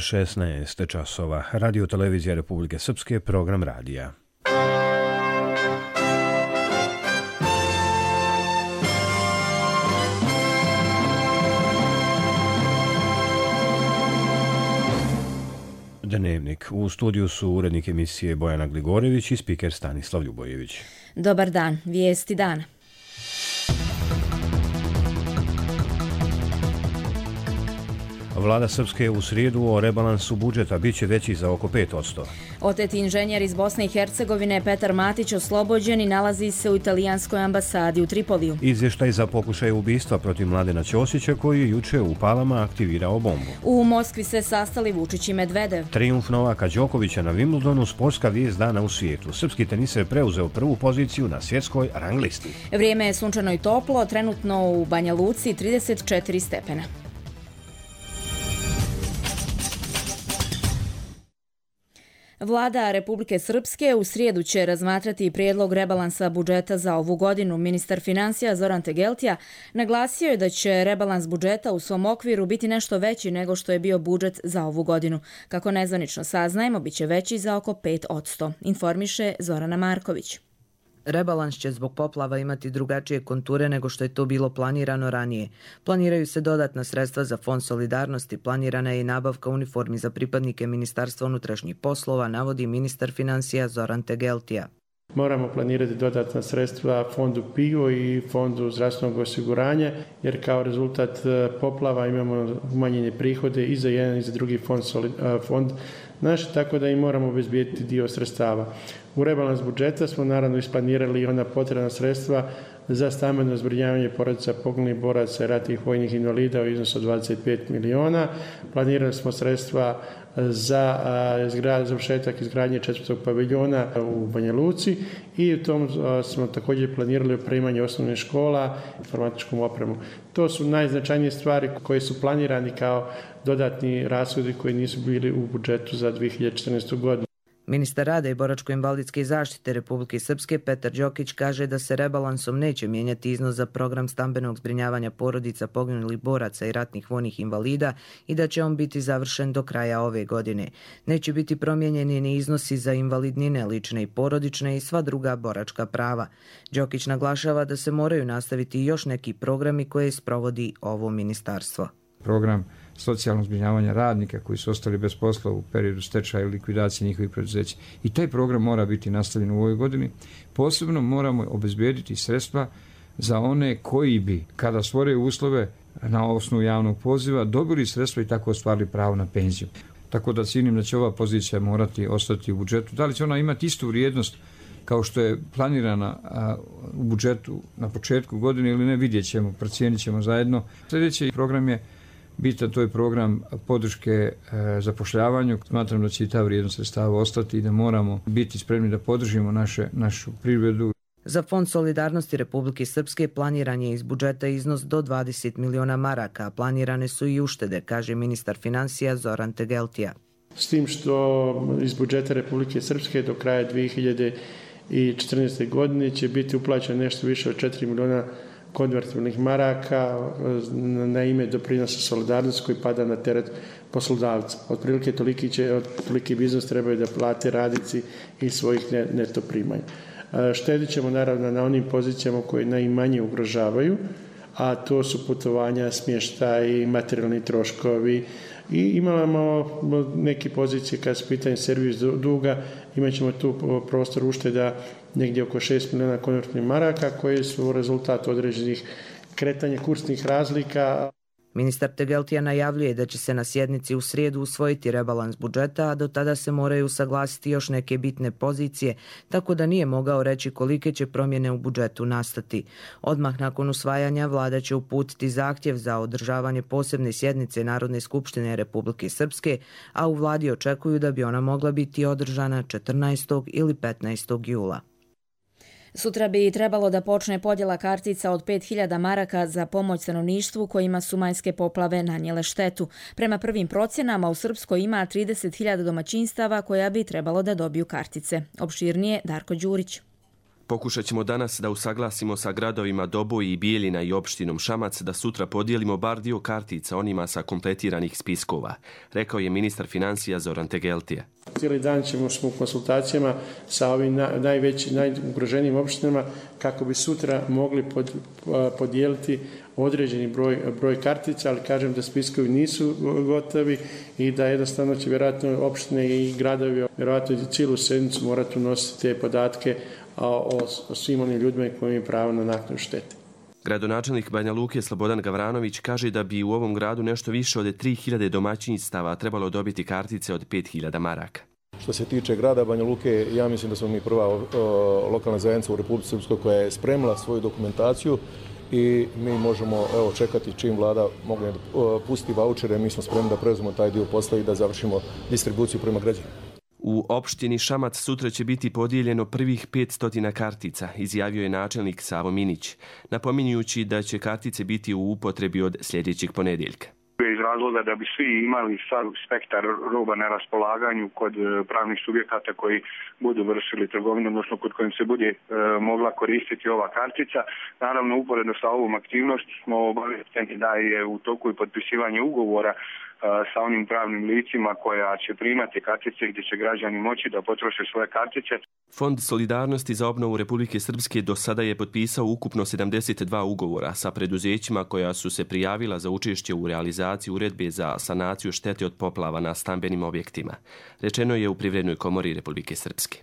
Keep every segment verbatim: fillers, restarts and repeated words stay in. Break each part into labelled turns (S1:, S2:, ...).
S1: šesnaest časova. Radio televizija Republike Srpske, program radija. Dnevnik. U studiju su urednik emisije Bojana Gligorević i spiker Stanislav Ljubojević.
S2: Dobar dan. Vijesti dana.
S1: Vlada Srpske u srijedu o rebalansu budžeta biće veći za oko pet posto.
S2: Oteti inženjer iz Bosne i Hercegovine Petar Matić oslobođen i nalazi se u italijanskoj ambasadi u Tripoliju.
S1: Izvještaj za pokušaj ubistva protiv Mladena Ćosića koji je juče u Palama aktivirao bombu.
S2: U Moskvi se sastali Vučić i Medvedev.
S1: Trijumf Novaka Đokovića na Wimbledonu, sportska vijest dana u svijetu. Srpski teniser preuzeo prvu poziciju na svjetskoj rang listi.
S2: Vrijeme je sunčano i toplo, trenutno u Banja Luci trideset četiri stepena. Vlada Republike Srpske u srijedu će razmatrati prijedlog rebalansa budžeta za ovu godinu. Ministar financija Zoran Tegeltija naglasio je da će rebalans budžeta u svom okviru biti nešto veći nego što je bio budžet za ovu godinu. Kako nezvanično saznajemo, bit će veći za oko pet posto, informiše Zorana Marković.
S3: Rebalans će zbog poplava imati drugačije konture nego što je to bilo planirano ranije. Planiraju se dodatna sredstva za Fond solidarnosti, planirana je i nabavka uniformi za pripadnike Ministarstva unutrašnjih poslova, navodi ministar financija Zoran Tegeltija.
S4: Moramo planirati dodatna sredstva fondu P I O i fondu zdravstvenog osiguranja, jer kao rezultat poplava imamo umanjene prihode i za jedan i za drugi fond, fond naš, tako da im moramo obezbijediti dio sredstava. U rebalans budžeta smo naravno isplanirali i ona potrebna sredstva za stambeno zbrinjavanje porodica poginulih boraca i ratnih vojnih invalida u iznosu od dvadeset pet miliona. Planirali smo sredstva za završetak izgradnje četvrtog paviljona u Banja Luci i u tom smo također planirali opremanje osnovnih škola informatičkom opremom. To su najznačajnije stvari koje su planirani kao dodatni rashodi koji nisu bili u budžetu za dvije hiljade četrnaestu. godinu.
S3: Ministar rada i boračko-invalidske zaštite Republike Srpske Petar Đokić kaže da se rebalansom neće mijenjati iznos za program stambenog zbrinjavanja porodica poginulih boraca i ratnih vojnih invalida i da će on biti završen do kraja ove godine. Neće biti promijenjeni ni iznosi za invalidnine, lične i porodične i sva druga boračka prava. Đokić naglašava da se moraju nastaviti još neki programi koje sprovodi ovo ministarstvo.
S5: Program socijalnog zbrinjavanja radnika koji su ostali bez posla u periodu stečaja i likvidacije njihovih preduzeća. I taj program mora biti nastavljen u ovoj godini. Posebno moramo obezbijediti sredstva za one koji bi, kada stvore uslove na osnovu javnog poziva, dobili sredstva i tako ostvarili pravo na penziju. Tako da cijenim da će ova pozicija morati ostati u budžetu. Da li će ona imati istu vrijednost kao što je planirana a, u budžetu na početku godine ili ne, vidjet ćemo, procijenit ćemo zajedno. Sljedeći program je bitan, to je program podrške e, zapošljavanju. Smatram da će i ta vrijednost sredstava ostati i da moramo biti spremni da podržimo naše, našu privredu.
S3: Za Fond solidarnosti Republike Srpske planiran je iz budžeta iznos do dvadeset miliona maraka, a planirane su i uštede, kaže ministar financija Zoran Tegeltija.
S4: S tim što iz budžeta Republike Srpske do kraja dvije hiljade četrnaeste. godine će biti uplaćeno nešto više od četiri miliona konvertibilnih maraka na ime doprinosa solidarnosti koji pada na teret poslodavca. Otprilike toliki će, otprilike biznis trebaju da plate radnici iz svojih neto primanja. Štedit ćemo naravno na onim pozicijama koje najmanje ugrožavaju, a to su putovanja, smještaj, materijalni troškovi i imamo neke pozicije kad se pitanje servis duga, imat ćemo tu prostor ušteda negdje oko šest miliona konvertibilnih maraka koji su rezultat određenih kretanja kursnih razlika.
S3: Ministar Tegeltija najavljuje da će se na sjednici u srijedu usvojiti rebalans budžeta, a do tada se moraju usaglasiti još neke bitne pozicije, tako da nije mogao reći kolike će promjene u budžetu nastati. Odmah nakon usvajanja vlada će uputiti zahtjev za održavanje posebne sjednice Narodne skupštine Republike Srpske, a u vladi očekuju da bi ona mogla biti održana četrnaestog ili petnaestog jula.
S2: Sutra bi trebalo da počne podjela kartica od pet hiljada maraka za pomoć stanovništvu kojima su majske poplave nanijele štetu. Prema prvim procjenama u Srpskoj ima trideset hiljada domaćinstava koja bi trebalo da dobiju kartice. Opširnije Darko Đurić.
S6: Pokušat ćemo danas da usaglasimo sa gradovima Doboj i Bijeljina i opštinom Šamac da sutra podijelimo bar dio kartica onima sa kompletiranih spiskova, rekao je ministar financija Zoran Tegeltija.
S4: Cijeli dan ćemo smo u konsultacijama sa ovim najvećim, najugroženijim opštinama kako bi sutra mogli pod, podijeliti određeni broj, broj kartica, ali kažem da spiskovi nisu gotovi i da jednostavno će vjerojatno opštine i gradovi vjerojatno i cijelu sedmicu morati unositi te podatke o, o svim onim ljudima koji imaju pravo na naknadu štete.
S6: Gradonačelnik Banja Luke Slobodan Gavranović kaže da bi u ovom gradu nešto više od tri hiljade domaćinstava trebalo dobiti kartice od pet hiljada maraka.
S7: Što se tiče grada Banja Luke, ja mislim da smo mi prva o, lokalna zajednica u Republici Srpskoj koja je spremila svoju dokumentaciju i mi možemo evo, čekati čim vlada mogne pustiti vaučere, mi smo spremni da preuzmemo taj dio posla i da završimo distribuciju prema građanima.
S6: U opštini Šamac sutra će biti podijeljeno prvih petsto kartica, izjavio je načelnik Savo Minić, napominjući da će kartice biti u upotrebi od sljedećeg ponedjeljka.
S8: Iz razloga da bi svi imali sav spektar roba na raspolaganju kod pravnih subjekata koji budu vršili trgovinu, odnosno kod kojim se bude e, mogla koristiti ova kartica. Naravno, uporedno sa ovom aktivnosti smo obaviješteni da je u toku i potpisivanje ugovora sa onim pravnim licima koja će primati kartice gdje će građani moći da potroše svoje kartice.
S6: Fond solidarnosti za obnovu Republike Srpske do sada je potpisao ukupno sedamdeset dva ugovora sa preduzećima koja su se prijavila za učešće u realizaciji uredbe za sanaciju štete od poplava na stambenim objektima, rečeno je u Privrednoj komori Republike Srpske.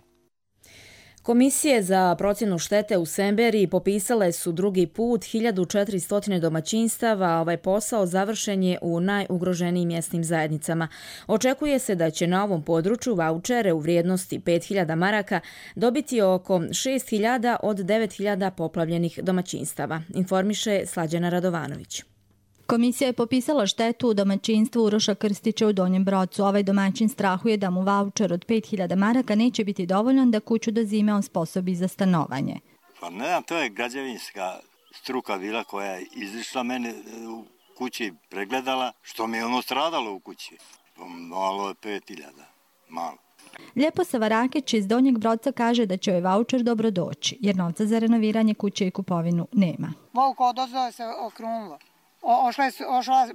S2: Komisije za procjenu štete u Semberiji popisale su drugi put hiljadu četiristo domaćinstava, a ovaj posao završen je u najugroženijim mjesnim zajednicama. Očekuje se da će na ovom području vaučere u vrijednosti pet hiljada maraka dobiti oko šest hiljada od devet hiljada poplavljenih domaćinstava, informiše Slađana Radovanović.
S9: Komisija je popisala štetu u domaćinstvu Uroša Krstića u Donjem Brocu. Ovaj domaćin strahuje da mu vaučer od pet hiljada maraka neće biti dovoljan da kuću do zime osposobi za stanovanje.
S10: Pa ne znam, to je građevinska struka bila koja je izišla mene u kući, pregledala, što mi je ono stradalo u kući. Malo je pet hiljada, malo.
S9: Ljepo Savarakić iz Donjeg Broca kaže da će ovaj vaučer dobro doći, jer novca za renoviranje kuće i kupovinu nema.
S11: Volko odozove se okrunulo. O, ošla, ošla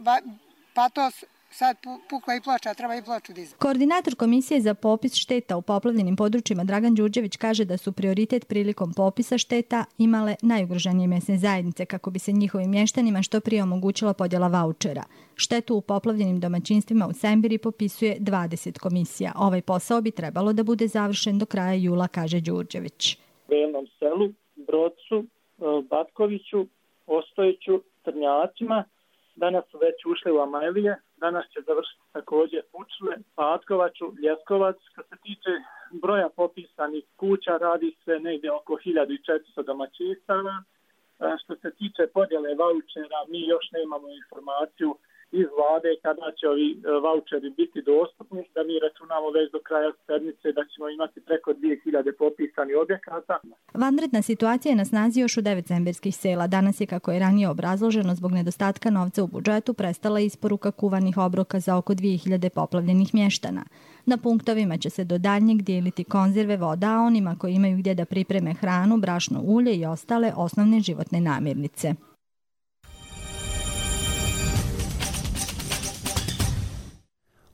S11: patos, sad pukla i ploča, treba i ploču dizati.
S9: Koordinator Komisije za popis šteta u poplavljenim područjima Dragan Đurđević kaže da su prioritet prilikom popisa šteta imale najugroženije mjesne zajednice kako bi se njihovim mještanima što prije omogućila podjela vaučera. Štetu u poplavljenim domaćinstvima u Sembiri popisuje dvadeset komisija. Ovaj posao bi trebalo da bude završen do kraja jula, kaže Đurđević.
S12: U Belom selu, Brodcu, Batkoviću, Ostojiću, Trnjacima, danas su već ušli u Amajlije, danas će završiti također Pučle, Patkovaču, Ljeskovac. Kad se tiče broja popisanih kuća, radi se negdje oko hiljadu četiristo domaćinstava. Što se tiče podjele vaučera, mi još nemamo informaciju iz vlade kada će ovi vaučeri biti dostupni, da mi računamo već do kraja sedmice da ćemo imati preko dvije hiljade popisanih objekata.
S9: Vanredna situacija je na snazi još u devet semberskih sela. Danas je, kako je ranije obrazloženo, zbog nedostatka novca u budžetu prestala isporuka kuvanih obroka za oko dvije hiljade poplavljenih mještana. Na punktovima će se do daljnjeg dijeliti konzerve, voda, a onima koji imaju gdje da pripreme hranu, brašno, ulje i ostale osnovne životne namirnice.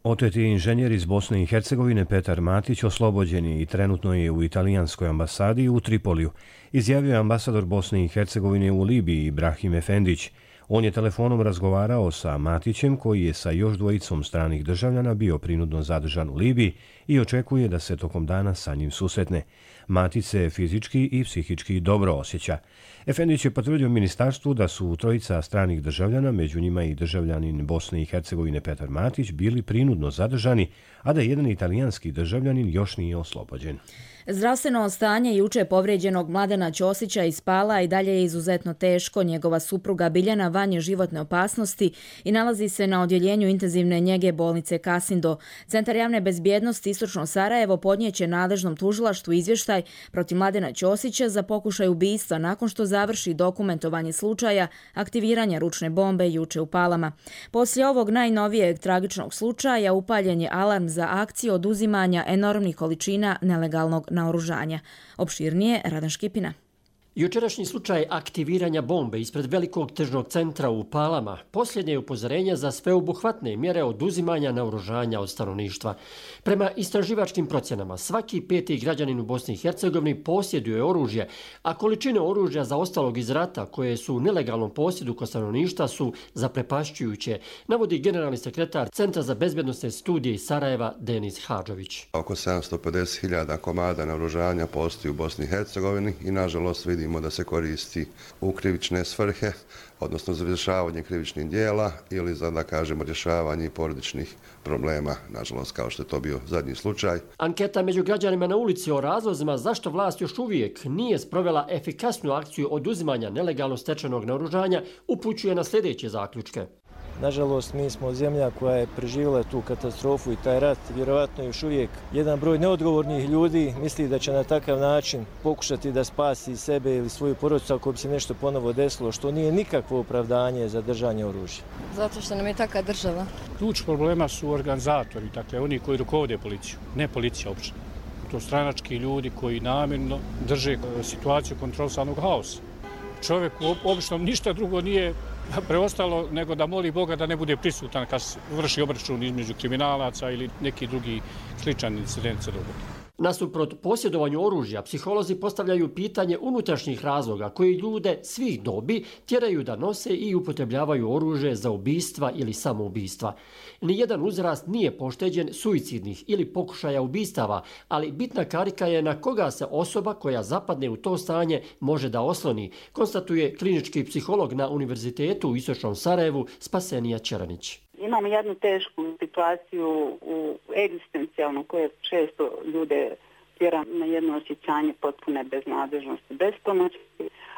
S1: Oteti inženjer iz Bosne i Hercegovine Petar Matić oslobođen je i trenutno je u italijanskoj ambasadi u Tripoliju, izjavio je ambasador Bosne i Hercegovine u Libiji Ibrahim Efendić. On je telefonom razgovarao sa Matićem, koji je sa još dvojicom stranih državljana bio prinudno zadržan u Libiji i očekuje da se tokom dana sa njim susretne. Matić se fizički i psihički dobro osjeća. Efendić je potvrdio ministarstvu da su trojica stranih državljana, među njima i državljanin Bosne i Hercegovine Petar Matić, bili prinudno zadržani, a da jedan italijanski državljanin još nije oslobođen.
S2: Zdravstveno stanje juče povrijeđenog Mladena Ćosića iz Pala i dalje je izuzetno teško. Njegova supruga Biljana van je životne opasnosti i nalazi se na odjeljenju intenzivne njege bolnice Kasindo. Centar javne bezbjednosti Istočno Sarajevo podnijeće nadležnom tužilaštvu izvještaj protiv Mladena Ćosića za pokušaj ubistva nakon što završi dokumentovanje slučaja aktiviranja ručne bombe juče u Palama. Poslije ovog najnovijeg tragičnog slučaja upaljen je alarm za akciju oduzimanja enormnih količina nelegalnog naoružanja. Opširnije Radan Škipina.
S13: Jučerašnji slučaj aktiviranja bombe ispred velikog tržnog centra u Palama posljednje je upozorenje za sveobuhvatne mjere oduzimanja naoružanja od stanovništva. Prema istraživačkim procjenama, svaki peti građanin u Bosni i Hercegovini posjeduje oružje, a količine oružja zaostalog iz rata koje su u nelegalnom posjedu kod stanovništva su zaprepašćujuće, navodi generalni sekretar Centra za bezbjednosne studije iz Sarajeva Denis Hadžović.
S14: Oko sedamsto pedeset hiljada komada naoružanja postoji u Bosni i Hercegovini i nažalost vidimo da se koristi u krivične svrhe, odnosno za rješavanje krivičnih dijela ili za, da kažemo, rješavanje porodičnih problema, nažalost, kao što je to bio zadnji slučaj.
S13: Anketa među građanima na ulici o razlozima zašto vlast još uvijek nije sprovela efikasnu akciju oduzimanja nelegalno stečenog naoružanja upućuje na sljedeće zaključke.
S15: Nažalost, mi smo zemlja koja je preživjela tu katastrofu i taj rat. Vjerovatno još uvijek jedan broj neodgovornih ljudi misli da će na takav način pokušati da spasi sebe ili svoju porodicu ako bi se nešto ponovo desilo, što nije nikakvo opravdanje za držanje oružja.
S16: Zato što nam je taka država.
S17: Ključ problema su organizatori, dakle oni koji rukovode policiju, ne policija uopšte. To stranački ljudi koji namjerno drže situaciju kontrolisanog haosa. Čovjek obično ništa drugo nije preostalo nego da moli Boga da ne bude prisutan kad vrši obračun između kriminalaca ili neki drugi sličan incident se dogodi.
S13: Nasuprot posjedovanju oružja, psiholozi postavljaju pitanje unutrašnjih razloga koji ljude svih dobi tjeraju da nose i upotrebljavaju oružje za ubistva ili samoubistva. Nijedan uzrast nije pošteđen suicidnih ili pokušaja ubistava, ali bitna karika je na koga se osoba koja zapadne u to stanje može da osloni, konstatuje klinički psiholog na Univerzitetu u Istočnom Sarajevu Spasenija Čeranić.
S18: Imamo jednu tešku situaciju u egzistencijalnu koja često ljude tjera na jedno osjećanje potpune beznadležnosti, bespomoći,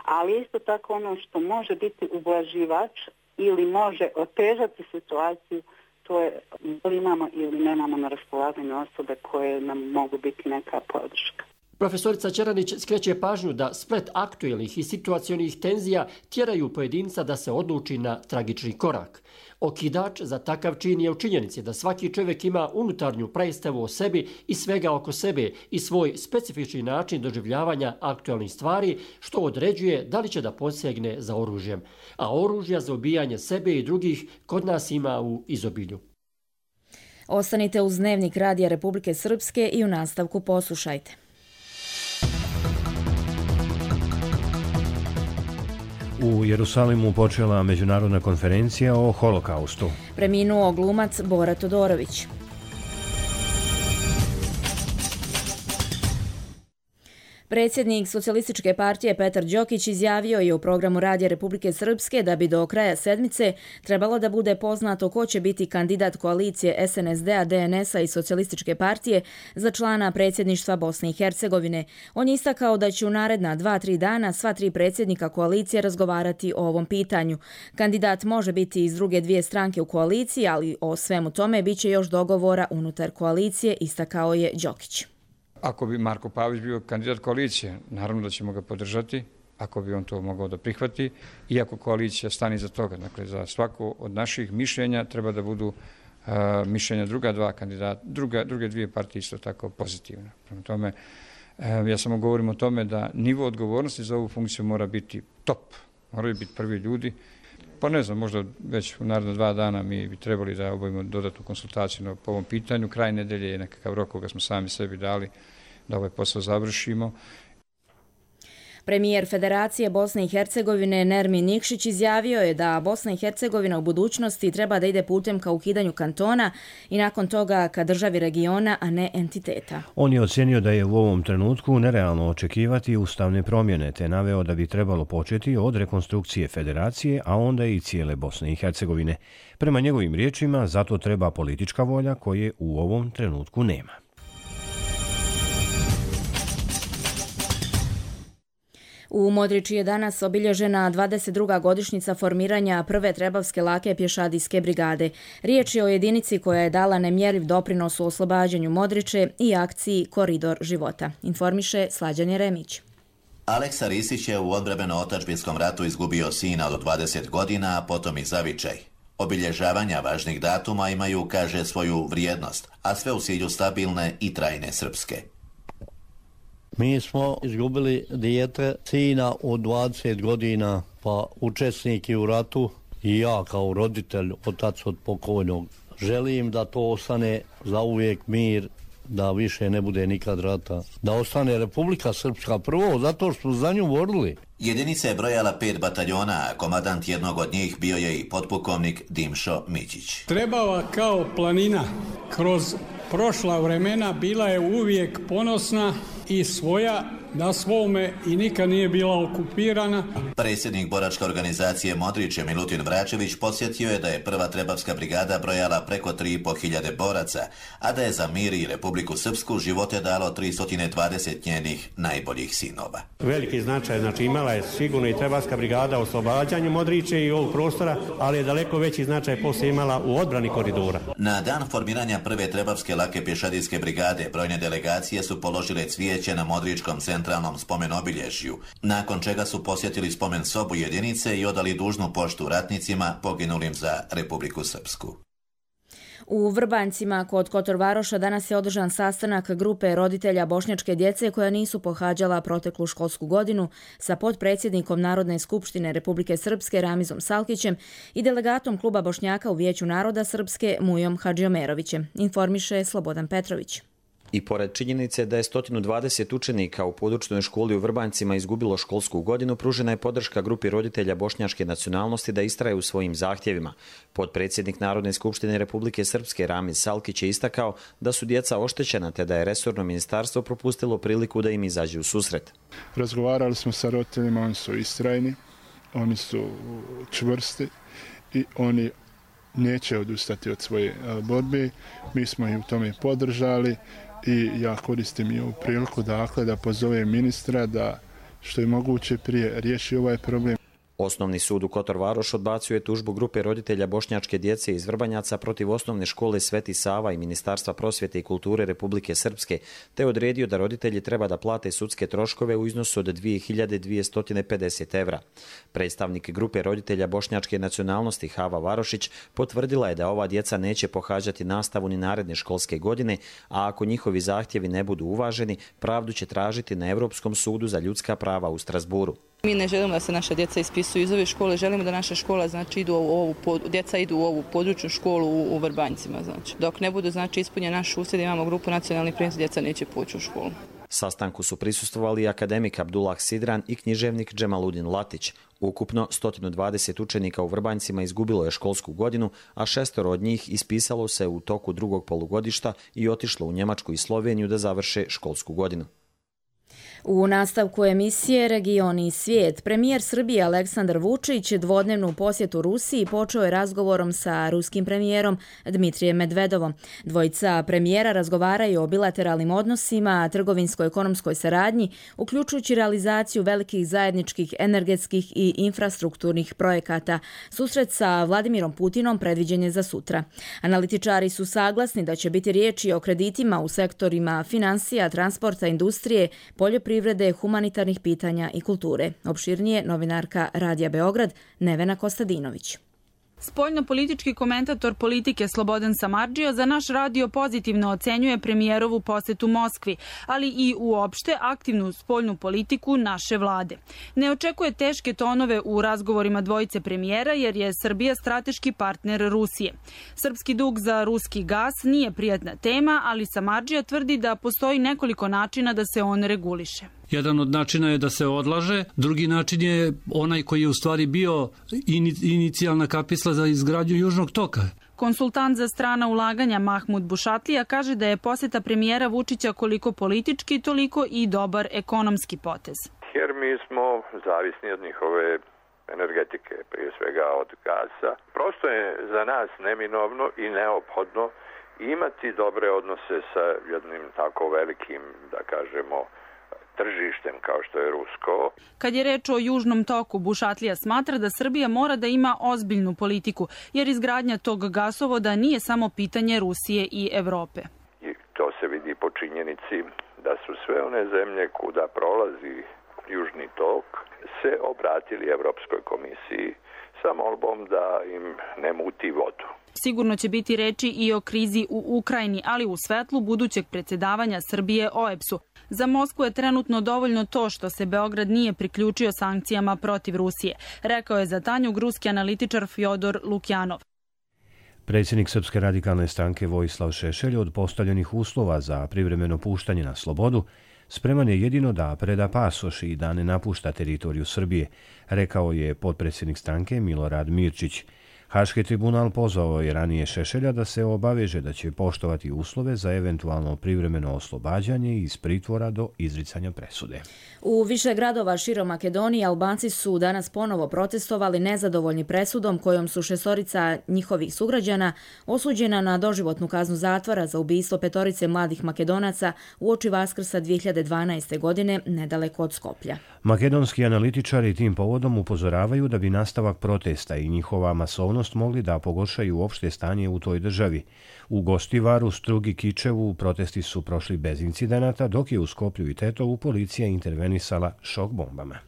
S18: ali isto tako ono što može biti ublaživač ili može otežati situaciju, to je ili imamo ili nemamo na raspolaganju osobe koje nam mogu biti neka podrška.
S13: Profesorica Čeranić skreće pažnju da splet aktuelnih i situacionih tenzija tjeraju pojedinca da se odluči na tragični korak. Okidač za takav čin je u činjenici da svaki čovjek ima unutarnju predstavu o sebi i svega oko sebe i svoj specifični način doživljavanja aktualnih stvari, što određuje da li će da posegne za oružjem. A oružja za ubijanje sebe i drugih kod nas ima u izobilju.
S2: Ostanite uz Dnevnik Radija Republike Srpske i u nastavku poslušajte.
S1: U Jerusalimu počela međunarodna konferencija o holokaustu.
S2: Preminuo glumac Bora Todorović. Predsjednik Socijalističke partije Petar Đokić izjavio je u programu Radija Republike Srpske da bi do kraja sedmice trebalo da bude poznato ko će biti kandidat koalicije S N S D-a, D N S-a i Socijalističke partije za člana predsjedništva Bosne i Hercegovine. On je istakao da će u naredna dva, tri dana sva tri predsjednika koalicije razgovarati o ovom pitanju. Kandidat može biti iz druge dvije stranke u koaliciji, ali o svemu tome bit će još dogovora unutar koalicije, istakao je Đokić.
S5: Ako bi Marko Pavić bio kandidat koalicije, naravno da ćemo ga podržati, ako bi on to mogao da prihvati, iako koalicija stane iza toga. Dakle, za svako od naših mišljenja treba da budu uh, mišljenja druga dva kandidata, druga, druge dvije partije isto tako pozitivne. Prema tome, uh, ja samo govorim o tome da nivo odgovornosti za ovu funkciju mora biti top, moraju biti prvi ljudi. Pa ne znam, možda već u naredna dva dana mi bi trebali da obavimo dodatnu konsultaciju po ovom pitanju. Kraj nedelje je nekakav rok koga smo sami sebi dali da ovaj posao završimo.
S2: Premijer Federacije Bosne i Hercegovine Nermin Nikšić izjavio je da Bosna i Hercegovina u budućnosti treba da ide putem ka ukidanju kantona i nakon toga ka državi regiona, a ne entiteta.
S1: On je ocenio da je u ovom trenutku nerealno očekivati ustavne promjene, te naveo da bi trebalo početi od rekonstrukcije Federacije, a onda i cijele Bosne i Hercegovine. Prema njegovim riječima, zato treba politička volja koje u ovom trenutku nema.
S2: U Modriči je danas obilježena dvadeset druga godišnjica formiranja prve trebavske lake pješadijske brigade. Riječ je o jedinici koja je dala nemjerljiv doprinos u oslobađanju Modriče i akciji Koridor života. Informiše Slađan Jeremić.
S19: Aleksa Risić je u odbrambeno-otadžbinskom ratu izgubio sina od dvadeset godina, a potom i zavičaj. Obilježavanja važnih datuma imaju, kaže, svoju vrijednost, a sve u cilju stabilne i trajne Srpske.
S20: Mi smo izgubili dijete, sina od dvadeset godina, pa učesnik u ratu i ja kao roditelj, otac od pokojnog. Želim da to ostane za uvijek mir, da više ne bude nikad rata. Da ostane Republika Srpska prvo, zato što smo za nju borili.
S19: Jedinica je brojala pet bataljona, a komadant jednog od njih bio je i potpukovnik Dimšo Mićić.
S21: Trebala kao planina kroz prošla vremena, bila je uvijek ponosna i svoja na svome i nikad nije bila okupirana.
S19: Predsjednik boračke organizacije Modriće Milutin Vračević podsjetio je da je prva Trebavska brigada brojala preko tri i po hiljade boraca, a da je za mir i Republiku Srpsku živote dalo tristo dvadeset njenih najboljih sinova.
S22: Veliki značaj, znači imala je sigurno i Trebavska brigada u oslobađanju Modriće i ovog prostora, ali je daleko veći značaj poslije imala u odbrani koridora.
S19: Na dan formiranja prve Trebavske lake pješadijske brigade brojne delegacije su položile cvijeće na Modričkom centralnom spomen obilježju, nakon čega su posjetili spomen sobu jedinice i odali dužnu poštu ratnicima poginulim za Republiku Srpsku.
S2: U Vrbancima kod Kotorvaroša danas je održan sastanak grupe roditelja bošnjačke djece koja nisu pohađala proteklu školsku godinu sa potpredsjednikom Narodne skupštine Republike Srpske Ramizom Salkićem i delegatom kluba Bošnjaka u Vijeću naroda Srpske Mujom Hadžiomerovićem, informiše Slobodan Petrović.
S23: I pored činjenice da je sto dvadeset učenika u područnoj školi u Vrbancima izgubilo školsku godinu, pružena je podrška grupi roditelja bošnjačke nacionalnosti da istraje u svojim zahtjevima. Potpredsjednik Narodne skupštine Republike Srpske Ramiz Salkić je istakao da su djeca oštećena te da je resorno ministarstvo propustilo priliku da im izađe u susret.
S24: Razgovarali smo sa roditeljima, oni su istrajni, oni su čvrsti i oni neće odustati od svoje borbe. Mi smo ih u tome podržali i ja koristim i ovu priliku dakle, da pozovem ministra da što je moguće prije riješi ovaj problem.
S23: Osnovni sud u Kotorvaroš odbacio je tužbu grupe roditelja bošnjačke djece iz Vrbanjaca protiv osnovne škole Sveti Sava i Ministarstva prosvjete i kulture Republike Srpske, te odredio da roditelji treba da plate sudske troškove u iznosu od dvije hiljade dvjesto pedeset evra. Predstavnik grupe roditelja bošnjačke nacionalnosti Hava Varošić potvrdila je da ova djeca neće pohađati nastavu ni naredne školske godine, a ako njihovi zahtjevi ne budu uvaženi, pravdu će tražiti na Europskom sudu za ljudska prava u Strasburu.
S25: Mi ne želimo da se naša djeca ispisuju iz ove škole, želimo da naša škola, znači, idu u ovu, djeca idu u ovu područnu školu u, u Vrbanjcima. Znači. Dok ne budu, znači, ispunjen naš usred, imamo grupu nacionalnih prijenosnih, djeca neće poći u školu.
S23: Sastanku su prisustvovali akademik Abdullah Sidran i književnik Džemaludin Latić. Ukupno sto dvadeset učenika u Vrbanjcima izgubilo je školsku godinu, a šestoro od njih ispisalo se u toku drugog polugodišta i otišlo u Njemačku i Sloveniju da završe školsku godinu.
S2: U nastavku emisije Regioni i svijet, premijer Srbije Aleksandar Vučić dvodnevnu posjetu Rusiji počeo je razgovorom sa ruskim premijerom Dmitrijem Medvedovom. Dvojica premijera razgovaraju o bilateralnim odnosima, trgovinsko-ekonomskoj saradnji, uključujući realizaciju velikih zajedničkih energetskih i infrastrukturnih projekata. Susret sa Vladimirom Putinom predviđen je za sutra. Analitičari su saglasni da će biti riječi o kreditima u sektorima financija, transporta, industrije, poljoprivrede, privrede, humanitarnih pitanja i kulture. Opširnije novinarka Radija Beograd Nevena Kostadinović.
S26: Spoljno-politički komentator politike Slobodan Samardžija za naš radio pozitivno ocenjuje premijerovu posjetu Moskvi, ali i uopšte aktivnu spoljnu politiku naše vlade. Ne očekuje teške tonove u razgovorima dvojice premijera jer je Srbija strateški partner Rusije. Srpski dug za ruski gas nije prijatna tema, ali Samardžija tvrdi da postoji nekoliko načina da se on reguliše.
S27: Jedan od načina je da se odlaže, drugi način je onaj koji je u stvari bio inicijalna kapisla za izgradnju Južnog toka.
S26: Konsultant za strana ulaganja Mahmud Bušatlija kaže da je posjeta premijera Vučića koliko politički, toliko i dobar ekonomski potez.
S28: Jer mi smo zavisni od njihove energetike, prije svega od gasa. Prosto je za nas neminovno i neophodno imati dobre odnose sa jednim tako velikim, da kažemo, tržištem kao što je rusko.
S26: Kad je reč o Južnom toku, Bušatlija smatra da Srbija mora da ima ozbiljnu politiku, jer izgradnja tog gasovoda nije samo pitanje Rusije i Evrope.
S28: I to se vidi po činjenici da su sve one zemlje kuda prolazi Južni tok se obratili Evropskoj komisiji sa molbom da im ne muti vodu.
S26: Sigurno će biti reči i o krizi u Ukrajini, ali u svetlu budućeg predsjedavanja Srbije O E B S-u. Za Moskvu je trenutno dovoljno to što se Beograd nije priključio sankcijama protiv Rusije, rekao je za Tanjug ruski analitičar Fjodor Lukjanov.
S1: Predsjednik Srpske radikalne stranke Vojislav Šešelj od postavljenih uslova za privremeno puštanje na slobodu spreman je jedino da preda pasoš i da ne napušta teritoriju Srbije, rekao je potpredsjednik stranke Milorad Mirčić. Haški tribunal pozvao je ranije Šešelja da se obaveže da će poštovati uslove za eventualno privremeno oslobađanje iz pritvora do izricanja presude.
S2: U više gradova širom Makedonije Albanci su danas ponovo protestovali nezadovoljni presudom kojom su šestorica njihovih sugrađana osuđena na doživotnu kaznu zatvora za ubistvo petorice mladih Makedonaca uoči Vaskrsa dvije hiljade dvanaeste. godine nedaleko od Skoplja.
S1: Makedonski analitičari tim povodom upozoravaju da bi nastavak protesta i njihova masovnost mogli da pogoršaju opšte stanje u toj državi. U Gostivaru, Strugi, Kičevu protesti su prošli bez incidenata, dok je u Skoplju i Tetovu policija intervenisala šok bombama.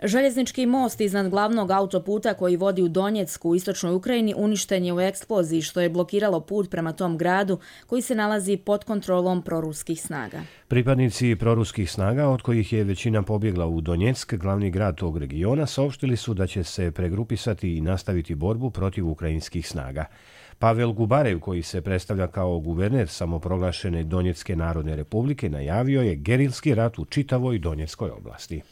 S2: Željeznički most iznad glavnog autoputa koji vodi u Donjecku u istočnoj Ukrajini uništen je u eksploziji, što je blokiralo put prema tom gradu koji se nalazi pod kontrolom proruskih snaga.
S1: Pripadnici proruskih snaga, od kojih je većina pobjegla u Donjeck, glavni grad tog regiona, saopštili su da će se pregrupisati i nastaviti borbu protiv ukrajinskih snaga. Pavel Gubarev, koji se predstavlja kao guverner samoproglašene Donjecke narodne republike, najavio je gerilski rat u čitavoj Donjeckoj oblasti.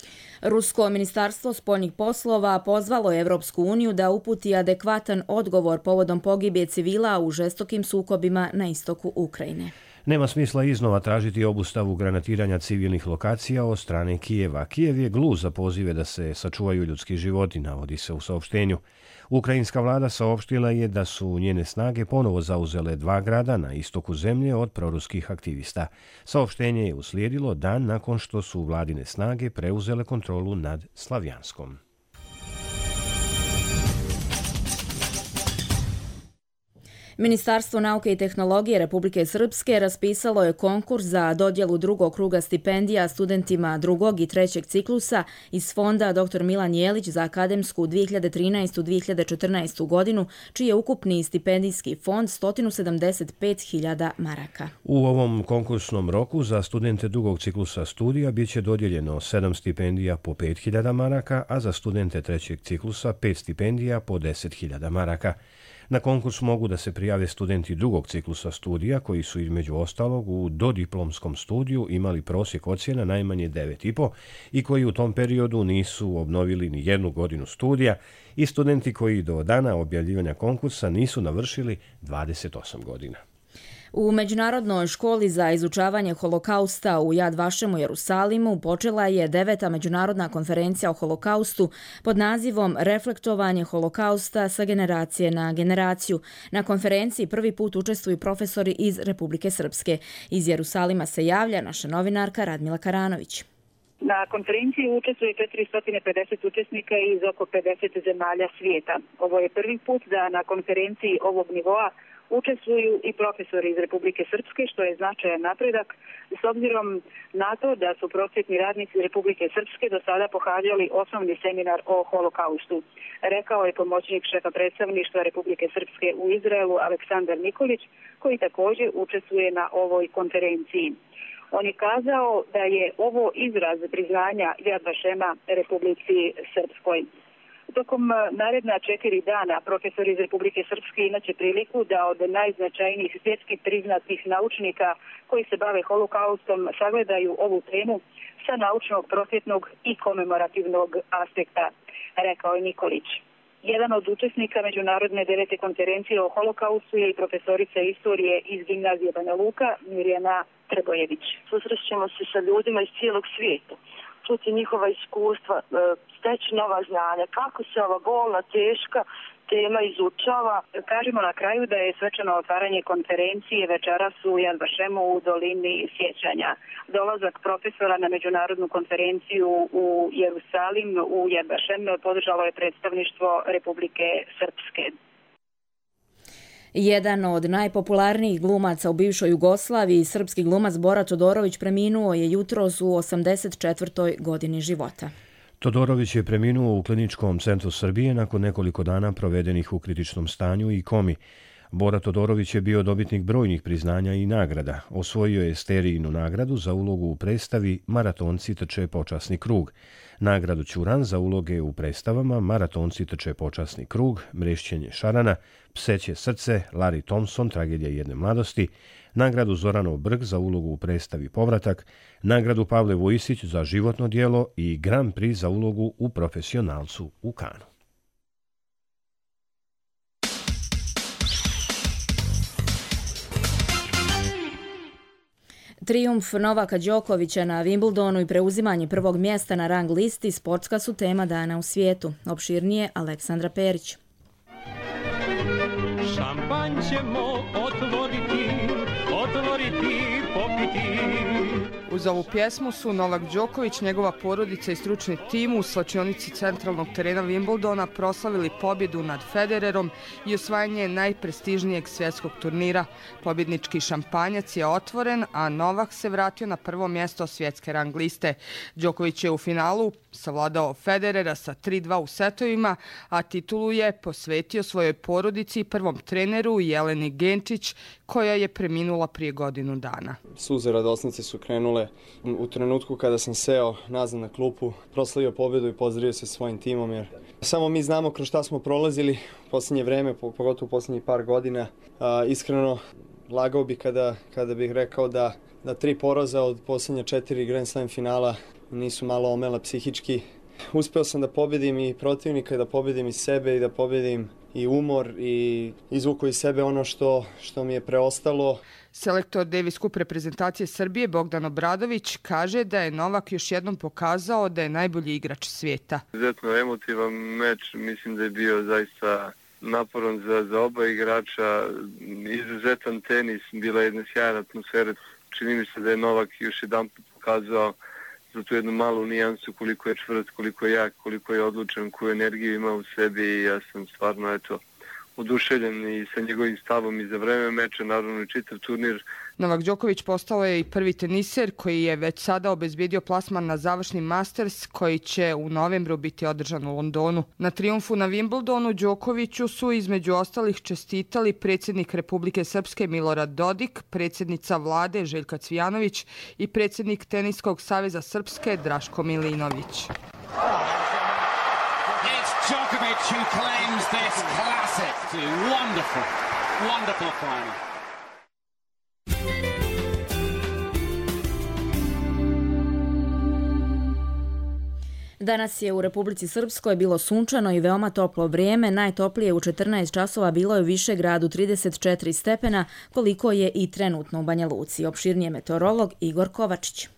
S2: Rusko ministarstvo spoljnih poslova pozvalo je Evropsku uniju da uputi adekvatan odgovor povodom pogibije civila u žestokim sukobima na istoku Ukrajine.
S1: Nema smisla iznova tražiti obustavu granatiranja civilnih lokacija od strane Kijeva. Kijev je gluh za pozive da se sačuvaju ljudski životi, navodi se u saopštenju. Ukrajinska vlada saopštila je da su njene snage ponovo zauzele dva grada na istoku zemlje od proruskih aktivista. Saopštenje je uslijedilo dan nakon što su vladine snage preuzele kontrolu nad Slavjanskom.
S2: Ministarstvo nauke i tehnologije Republike Srpske raspisalo je konkurs za dodjelu drugog kruga stipendija studentima drugog i trećeg ciklusa iz fonda doktor Milan Jelić za akademsku dvije hiljade trinaestu dvije hiljade četrnaestu. godinu, čiji je ukupni stipendijski fond sto sedamdeset pet hiljada maraka.
S1: U ovom konkursnom roku za studente drugog ciklusa studija biće dodijeljeno sedam stipendija po pet hiljada maraka, a za studente trećeg ciklusa pet stipendija po deset hiljada maraka. Na konkurs mogu da se prijave studenti drugog ciklusa studija koji su između ostalog u dodiplomskom studiju imali prosjek ocjena najmanje devet i po i koji u tom periodu nisu obnovili ni jednu godinu studija i studenti koji do dana objavljivanja konkursa nisu navršili dvadeset osam godina.
S2: U Međunarodnoj školi za izučavanje holokausta u Jad Vašemu Jerusalimu počela je deveta međunarodna konferencija o holokaustu pod nazivom Reflektovanje holokausta sa generacije na generaciju. Na konferenciji prvi put učestvuju profesori iz Republike Srpske. Iz Jerusalima se javlja naša novinarka Radmila Karanović.
S3: Na konferenciji učestvuje četiristo pedeset učesnika iz oko pedeset zemalja svijeta. Ovo je prvi put da na konferenciji ovog nivoa učestvuju i profesori iz Republike Srpske, što je značajan napredak, s obzirom na to da su prosvjetni radnici Republike Srpske do sada pohađali osnovni seminar o holokaustu. Rekao je pomoćnik šefa predstavništva Republike Srpske u Izraelu Aleksandar Nikolić, koji također učestvuje na ovoj konferenciji. On je kazao da je ovo izraz priznanja Jad Vašema Republici Srpskoj. Tokom naredna četiri dana profesori iz Republike Srpske imaće priliku da od najznačajnijih svjetski priznatih naučnika koji se bave holokaustom sagledaju ovu temu sa naučnog, prosvjetnog i komemorativnog aspekta, rekao je Nikolić. Jedan od učesnika Međunarodne devete konferencije o holokaustu je i profesorica istorije iz gimnazije Banja Luka Mirjana Trbojević.
S4: Susrećemo se sa ljudima iz cijelog svijeta, čuti njihova iskustva, steći nova znanja, kako se ova bolna, teška tema izučava.
S3: Kažemo na kraju da je svečano otvaranje konferencije večeras u Jad Vašemu u dolini sjećanja. Dolazak profesora na međunarodnu konferenciju u Jerusalim u Jad Vašem podržalo je predstavništvo Republike Srpske.
S2: Jedan od najpopularnijih glumaca u bivšoj Jugoslaviji, srpski glumac Bora Todorović, preminuo je jutros u osamdeset četvrtoj godini života.
S1: Todorović je preminuo u Kliničkom centru Srbije nakon nekoliko dana provedenih u kritičnom stanju i komi. Bora Todorović je bio dobitnik brojnih priznanja i nagrada. Osvojio je Sterijinu nagradu za ulogu u predstavi Maratonci trče počasni krug, nagradu Ćuran za uloge u predstavama Maratonci trče počasni krug, Mrešćenje šarana, Pseće srce, Larry Thompson, Tragedija jedne mladosti, nagradu Zoranov Brg za ulogu u predstavi Povratak, nagradu Pavle Vojisić za životno djelo i Grand Prix za ulogu u Profesionalcu u Kanu.
S2: Trijumf Novaka Đokovića na Wimbledonu i preuzimanje prvog mjesta na rang listi sportska su tema dana u svijetu. Opširnije Aleksandra Perić.
S6: Šampanj ćemo otvoriti, otvoriti, popiti.
S7: Uz ovu pjesmu su Novak Đoković, njegova porodica i stručni tim u slačionici centralnog terena Wimbledona proslavili pobjedu nad Federerom i osvajanje najprestižnijeg svjetskog turnira. Pobjednički šampanjac je otvoren, a Novak se vratio na prvo mjesto svjetske rang liste. Đoković je u finalu savladao Federera sa tri dva u setovima, a titulu je posvetio svojoj porodici i prvom treneru Jeleni Genčić, koja je preminula prije godinu dana.
S8: Suze radosnice su krenule u trenutku kada sam seo nazad na klupu, proslavio pobjedu i pozdravio se svojim timom, jer samo mi znamo kroz šta smo prolazili u posljednje vreme, pogotovo u posljednjih par godina. A, iskreno, lagao bi kada, kada bih rekao da, da tri poraza od posljednje četiri Grand Slam finala nisu malo omela psihički. Uspeo sam da pobjedim i protivnika, da pobjedim i sebe i da pobjedim i umor i izvuku iz sebe ono što, što mi je preostalo.
S7: Selektor Davis Cup reprezentacije Srbije Bogdan Obradović kaže da je Novak još jednom pokazao da je najbolji igrač svijeta.
S9: Izuzetno emotivan meč, mislim da je bio zaista naporan za, za oba igrača, izuzetan tenis, bila jedna sjajna atmosfera. Čini mi se da je Novak još jedan pokazao za tu jednu malu nijansu koliko je čvrst, koliko je jak, koliko je odlučan, koju energiju ima u sebi i ja sam stvarno eto oduševljen i sa njegovim stavom i za vreme meča, naravno i čitav turnir.
S7: Novak Đoković postao je i prvi teniser koji je već sada obezbijedio plasman na završni Masters koji će u novembru biti održan u Londonu. Na trijumfu na Wimbledonu Đokoviću su između ostalih čestitali predsjednik Republike Srpske Milorad Dodik, predsjednica vlade Željka Cvijanović i predsjednik Teniskog saveza Srpske Draško Milinović.
S6: Djokovic who claims this classic. Wonderful, wonderful final.
S2: Danas je u Republici Srpskoj bilo sunčano i veoma toplo vrijeme. Najtoplije u četrnaest časova bilo je u Višegradu trideset četiri stepena, koliko je i trenutno u Banja Luci. Opširnije meteorolog Igor Kovačić.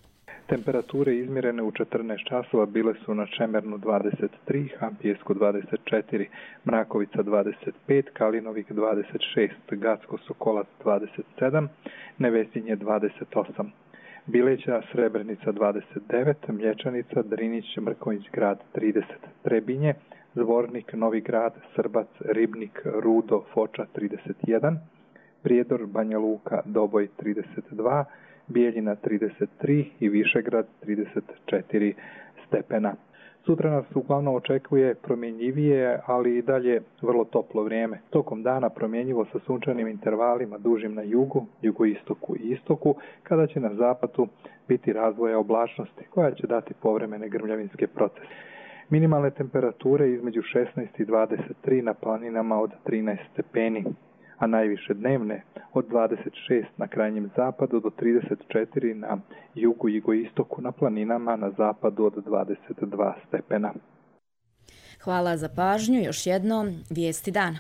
S10: Temperature izmjerene u četrnaest časova bile su na Čemernu dvadeset tri, Hampijesku dvadeset četiri, Mrakovica dvadeset pet, Kalinovik dvadeset šest, Gacko Sokolac dvadeset sedam, Nevesinje dvadeset osam, Bileća Srebrenica dvadeset devet, Mlječanica, Drinić, Mrkonjić grad trideset, Trebinje, Zvornik, Novi grad, Srbac, Ribnik, Rudo, Foča trideset jedan, Prijedor, Banja Luka, Doboj trideset dva, Bijeljina trideset tri i Višegrad trideset četiri stepena. Sutra nas uglavnom očekuje promjenjivije, ali i dalje vrlo toplo vrijeme. Tokom dana promjenjivo sa sunčanim intervalima dužim na jugu, jugoistoku i istoku, kada će na zapadu biti razvoja oblačnosti koja će dati povremene grmljavinske procese. Minimalne temperature između šesnaest i dvadeset tri na planinama od trinaest stepeni, a najviše dnevne od dvadeset šest na krajnjem zapadu do trideset četiri na jugu i jugoistoku, na planinama na zapadu od dvadeset dva stepena.
S2: Hvala za pažnju. Još jednom vijesti dana.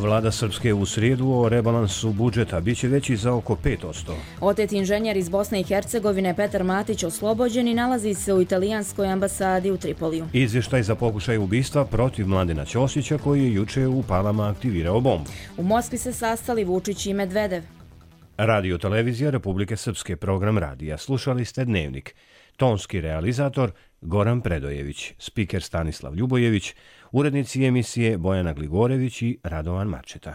S1: Vlada Srpske u srijedu o rebalansu budžeta biće veći za oko pet posto.
S2: Otet inženjer iz Bosne i Hercegovine Petar Matić oslobođen i nalazi se u italijanskoj ambasadi u Tripoliju.
S1: Izvještaj za pokušaj ubistva protiv Mladena Ćosića koji je juče u Palama aktivirao bombu.
S2: U Moskvi se sastali Vučić i Medvedev.
S1: Radio televizija Republike Srpske, program radija. Slušali ste Dnevnik. Tonski realizator Goran Predojević, spiker Stanislav Ljubojević, urednici emisije Bojana Gligorević i Radovan Marčeta.